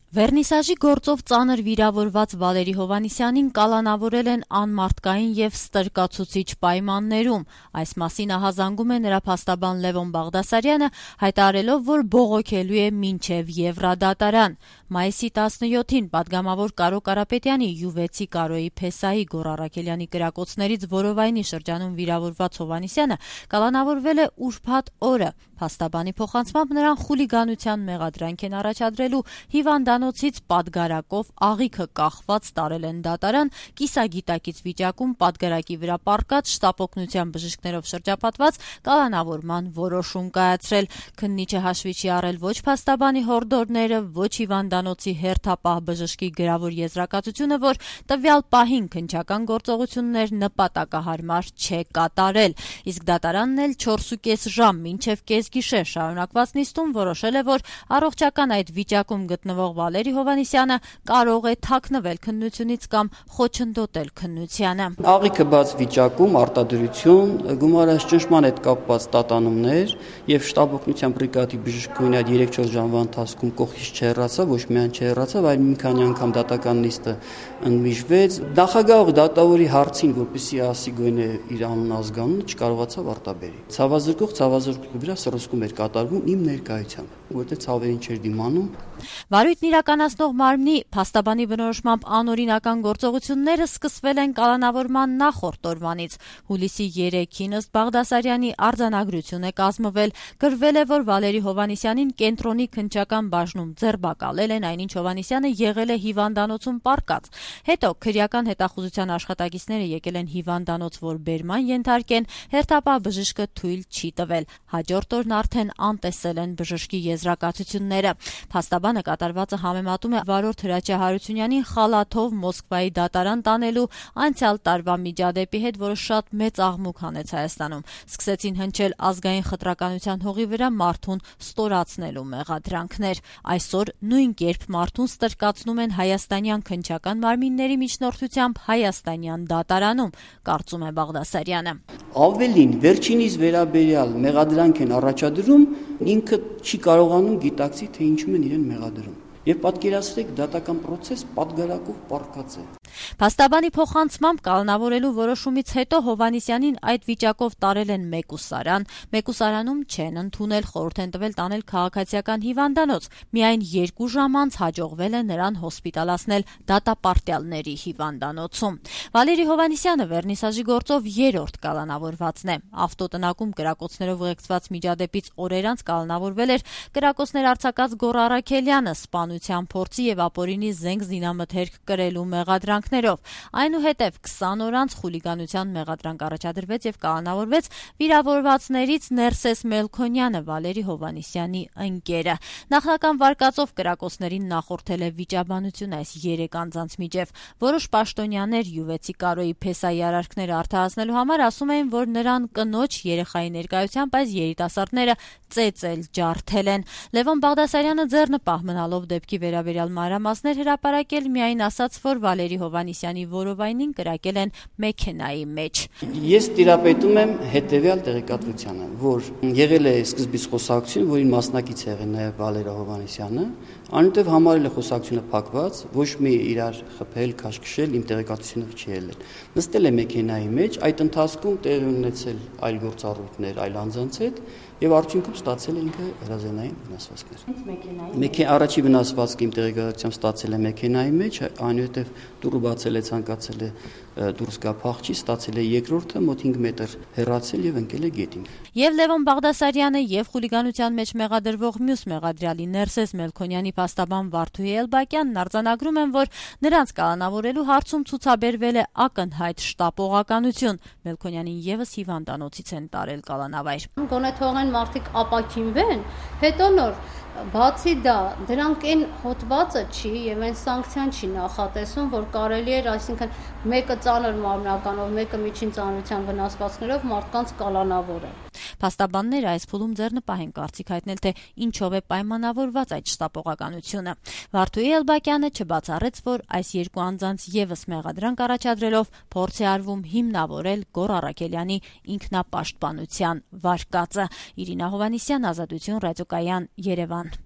Վերնիսաժի գործով ծանր վիրավորված Վալերի Հովհաննիսյանին կալանավորել են անմարդկային եւ ստրկացուցիչ պայմաններում։ Այս մասին ահազանգում է նրա փաստաբան Լևոն Բաղդասարյանը, հայտարարելով, որ բողոքելու է մինչեւ Եվրադատարան։ Մայիսի 17-ին պատգամավոր Կարո Կարապետյանի յուվեցի Կարոյի Փեսայի Գոռ Առաքելյանի կրակոցներից որովայնի շրջանում վիրավորված Հովհաննիսյանը կալանավորվել է ուրբաթ օրը։ Փաստաբանի փոխանցմամբ նրան խուլիգանության մեղադրանք են առաջադրելու, հիվանդանոցից պատգարակով աղիքը կախված տարել են դատարան, կիսագիտակից վիճակում պատգարակի վրա պառկած շտապօգնության բժիշկներով շրջապատված կալանավորման որոշում կայացրել։ Քննիչը հաշվի չի առել ոչ փաստաբանի հորդորները, ոչ հիվանդանոցի հերթապահ բժշկի գրավոր եզրակացությունը, որ տվյալ պահին քննչական գործողություններ նպատակահարմար չէ կատարել։ Իսկ դատարանն էլ 4.5 ժամ մինչև կեսգիշեր շարունակված նիստում որոշել է, որ առողջական այդ վիճակում գտնվող Վալերի Հովհաննիսյանը կարող է թաքնվել քննությունից կամ խոչընդոտել քննությանը։ Աղիքը բաց վիճակում արտադրություն, գումարած ճնշման հետ կապված տատանումներ եւ շտապօգնության բրիգադի բժշկուհին այդ 3-4 ժամվա ընթացքում կողքից չհեռացավ, ոչ միայն չհեռացավ, այլ մի քանի անգամ դատական նիստը ընդմիջվեց։ Նախագահող դատավորի հարցին, որպեսզի ասի գոնե իր անուն ազգանունը, չկարողացավ արտաբերի։ Ցավազրկի վրա սրսկում էր կատարվում իմ ներկայությամբ, որտեղ ցավերին չէր դիմանում։ Վարույթն իրականացնող մարմնի փաստաբանի բնորոշմամբ անօրինական գործողությունները սկսվել են կալանավորման նախորդ օրվանից։ Հուլիսի 3-ին ըստ Բաղդասարյանի արձանագրություն է կազմվել, գրվել է, որ Վալերի Հովհաննիսյանին կենտրոնի քննչական բաժնում ձերբակալել են, այնինչ Հովհաննիսյանը եղել է հիվանդանոցում պառկած։ Հետո քրեական հետախուզության աշխատակիցները եկել են հիվանդանոց, որ բերման ենթարկեն, հերթապահ բժիշկը թույլ չի տվել։ Հաջորդ օրն արդեն անտեսել են բժշկի եզրակացությունները։ Փաստաբանը կատարվածը համեմատում է վարորդ Հրաչյա Հարությունյանին խալաթով Մոսկվայի դատարան տանելու անցյալ տարվա միջադեպի հետ, որը շատ մեծ աղմուկ հանեց Հայաստանում։ Սկսեցին հնչել ազգային խտրականության հողի վրա մարդուն ստորացնելու մեղադրանքներ։ Այսօր նույն կերպ մարդուն ստրկացնում են հայաստանյան քննչական մարմինների միջնորդությամբ հայաստանյան դատարանում, կարծում է Բաղդասարյանը։ Ավելին, վերջինիս վերաբերյալ մեղադրանք են առաջադրում, ինքը չի կարողանում գիտակցի, թե ինչու են իրեն մեղադրում։ Եվ պատկերացրեք, դատական process պատգարակով պառկած է։ Փաստաբանի փոխանցմամբ կալանավորելու որոշումից հետո Հովհաննիսյանին այդ վիճակով տարել են մեկուսարան։ Մեկուսարանում չեն ընդունել, խորհուրդ են տվել տանել քաղաքացիական հիվանդանոց։ Միայն 2 ժամ անց հաջողվել է նրան հոսպիտալացնել դատապարտյալների հիվանդանոցում։ Վալերի Հովհաննիսյանը վերնիսաժի գործով 3-րդ կալանավորվածն է։ Ավտոտնակում կրակոցներով ուղեկցված միջադեպից օրեր անց կալանավորվել էր կրակոցներ արձակած Գոռ Առաքելյանը սպանության փորձի եւ ապօրինի զենք զինամթերք կրելու մեղադրանքներով։ Այնուհետև 20 օր անց խուլիգանության մեղադրանք առաջադրվեց եւ կալանավորվեց վիրավորվածներից Ներսես Մելքոնյանը, Վալերի Հովհաննիսյանի ընկերը։ Նախնական վարկածով կրակոցներին նախորդել է վիճաբանություն այս 3 անձանց միջև։ Որոշ պաշտոնյաներ յուվեցի Կարոյի Փեսայի արարքները արդարացնելու համար ասում էին, որ նրան կնոջ երեխայի ներկայությամբ այս երիտասարդները ծեծել ջարդել են։ Լևոն Բաղդասարյանը ձեռնպահ մնալով դեպքի վերաբերյալ մանրամասներ հրապարակել, միայն ասաց, որ Վալերի Հովհաննիսյանի որովայնին կրակել են մեքենայի մեջ։ Ես տիրապետում եմ հետևյալ տեղեկատվությանը, որ եղել է սկզբից խոսակցություն, որին մասնակից է եղել նաև Վալերի Հովհաննիսյանը, այնուհետև համարել է խոսակցությունը փակված, ոչ մի իրար խփել, քաշքշել, իմ տեղեկատվությունը չի ելել։ Նստել է մեքենայի մեջ, այդ ընթացքում տեղի ունեցել այլ գործառույթներ այլ անձանց հետ եւ արդյունքում ստացել է ինքը հրազենային վնասվածքներ։ Առաջի վնասվածքը իմ տեղեկատվությամբ ստացել է մեքենայի մեջ, այնուհետև դուռը բացել է, ցանկացել է դուրս գա փախչի, ստացել է երկրորդը մոտ 5 մետր հեռացել եւ ընկել է գետին։ Եվ Լևոն Բաղդասարյանը եւ խուլիգանության մեջ մեղադրվող մյուս մեղադրյալի Ներսես Մելքոնյանի փաստաբան Վարդուհի Էլբակյանն արձանագրում են, որ նրանց կալանավորելու հարցում ցուցաբերվել է ակնհայտ շտապողականություն։ Մելքոնյանին եւս հիվանդանոցից են տարել կալանավայր։ Գոնե թողեն մարդիկ ապակինվեն, հետո նոր բացի դա, դրանք այն հոտվածը չի եւ այն սանկցիան չի նախատեսում, որ կարելի էր, այսինքն մեկը ծանր մարմնականով, մեկը միջին ծանրության վնասվածքներով մարդկանց կալանավորել։ Փաստաբանները այս փուլում ձեռնպահ են կարծիք հայտնել, թե ինչով է պայմանավորված այդ շտապողականությունը։ Վարդուհի Էլբակյանը չբացառեց, որ այս 2 անձանց եւս մեղադրանք առաջադրելով փորձ է արվում հիմնավորել Գոռ Առաքելյանի ինքնապաշտպանության վարկածը։ Իրինա Հովհաննիսյան, Ազատություն, Ռադիոկայան, Երևան։